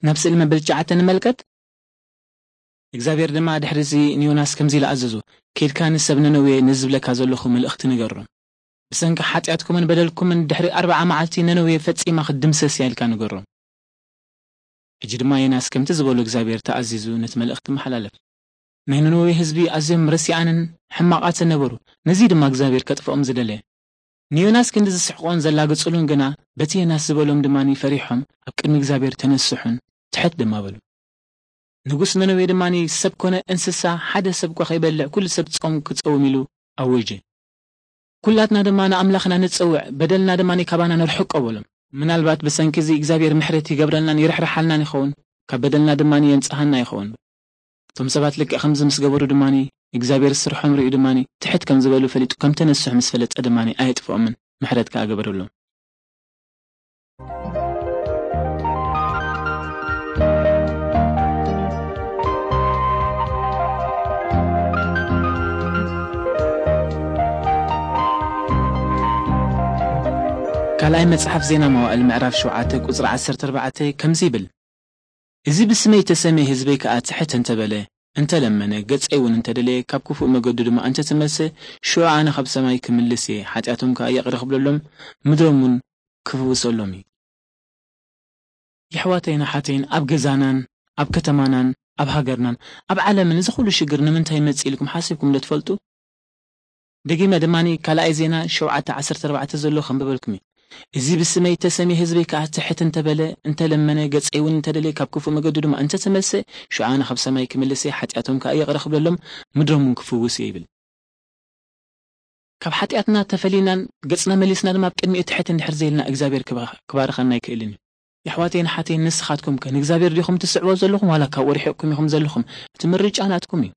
ናብ ስእሊ መበል ትሽዓተ ንመልከት። እግዚኣብሔር ድማ ድሕሪ እዚ ንዮናስ ከምዚ ኢሉ ኣዘዞ፣ "ከይድካ ንሰብ ነነዌ ነዚ ዝብለካ ዘለኹ መልእኽቲ ንገሮም። ብሰንኪ ሓጢኣትኩምን በደልኩምን ድሕሪ ኣርብዓ መዓልቲ ነነዌ ፈጺማ ክትድምሰስ እያ" ኢልካ ንገሮም። ሕጂ ድማ ዮናስ ከምቲ ዝበሎ እግዚኣብሔር ተኣዚዙ ነቲ መልእኽቲ መሓላለፍ። ናይ ነነዌ ህዝቢ ኣዝዮም ረሲኣንን ሕማቓትን ነበሩ። ነዚ ድማ እግዚኣብሔር ከጥፍኦም ዝደለየ። ንዮናስ ክንዲ ዝስሕቆን ዘላግጽሉን ግና በቲ ዮናስ ዝበሎም ድማ ፈሪሖም ኣብ ቅድሚ እግዚኣብሔር ተነስሑን ትሕት ድማ በሉ። ንጉስ ነነዌ ድማ ሰብ ኮነ እንስሳ ሓደ ሰብ እኳ ከይበልዕ ኩሉ ሰብ ጾም ክጸውም ኢሉ ኣወጀ። ኩላትና ድማ ንኣምላኽና ንጸውዕ፣ በደልና ድማ ካባና ነርሕቆ በሎም። ምናልባት ብሰንኪ እዚ እግዚኣብሔር ምሕረት ይገብረልናን ይርሕርሓልናን ይኸውን፣ ካብ በደልና ድማ የንጽሃና ይኸውን። እቶም ሰባት ልክዕ ከምዚ ምስ ገበሩ ድማ እግዚኣብሔር ስርሖም ርእዩ ድማ ትሕት ከም ዝበሉ ፈሊጡ ከም ተነስሑ ምስ ፈለጠ ድማ ኣየጥፍኦምን፣ ምሕረት ከኣ ገበረሎም። ካልኣይ መጽሓፍ ዜና መዋእል ምዕራፍ ሸውዓተ ቁጽሪ ዓሰርተ ኣርባዕተ ከምዚ ይብል፣ "እዚ ብስመይ ተሰምየ ህዝበይ ከኣ ትሕት እንተበለ፣ እንተለመነ፣ ገጸይ እውን እንተደለየ፣ ካብ ክፉእ መገዱ ድማ እንተተመልሰ፣ ሽዑ ኣነ ካብ ሰማይ ክምልስ እየ፣ ሓጢኣቶም ከኣ ይቕረ ክብለሎም፣ ምድሮም እውን ክፍውሰሎም እዩ።" የሕዋተይን ኣሓተይን፣ ኣብ ገዛናን ኣብ ከተማናን ኣብ ሃገርናን ኣብ ዓለምን እዚ ኩሉ ሽግር ንምንታይ ይመጽእ ኢልኩም ሓሲብኩም ዶ ትፈልጡ? ደጊመ ድማ ካልኣይ ዜና ሸውዓተ ዓሰርተ ኣርባዕተ ዘሎ ከንብበልኩም እዩ። "እዚ ብስመይ እተሰምየ ህዝበይ ከኣ ትሕት እንተበለ፣ እንተለመነ፣ ገጸይ እውን እንተደለየ፣ ካብ ክፉእ መገዱ ድማ እንተተመልሰ፣ ሽዑ ኣነ ካብ ሰማይ ክምልስ እየ፣ ሓጢኣቶም ከኣ ይቕረ ክብለሎም፣ ምድሮም እውን ክፍውስ እየ" ይብል። ካብ ሓጢኣትና ተፈሊናን ገጽና መሊስና ድማ ኣብ ቅድሚኡ ትሕት እንድሕር ዘይልና እግዚኣብሔር ክባ-፣ ክባርኸና ኣይክእልን እዩ። የሕዋተይን ኣሓተይን ንስኻትኩም ከ ንእግዚኣብሔር ዲኹም ትስዕቦ ዘለኹም ዋላ ካብኡ ርሒቕኩም ኢኹም ዘለኹም? እቲ ምርጫ ናትኩም እዩ።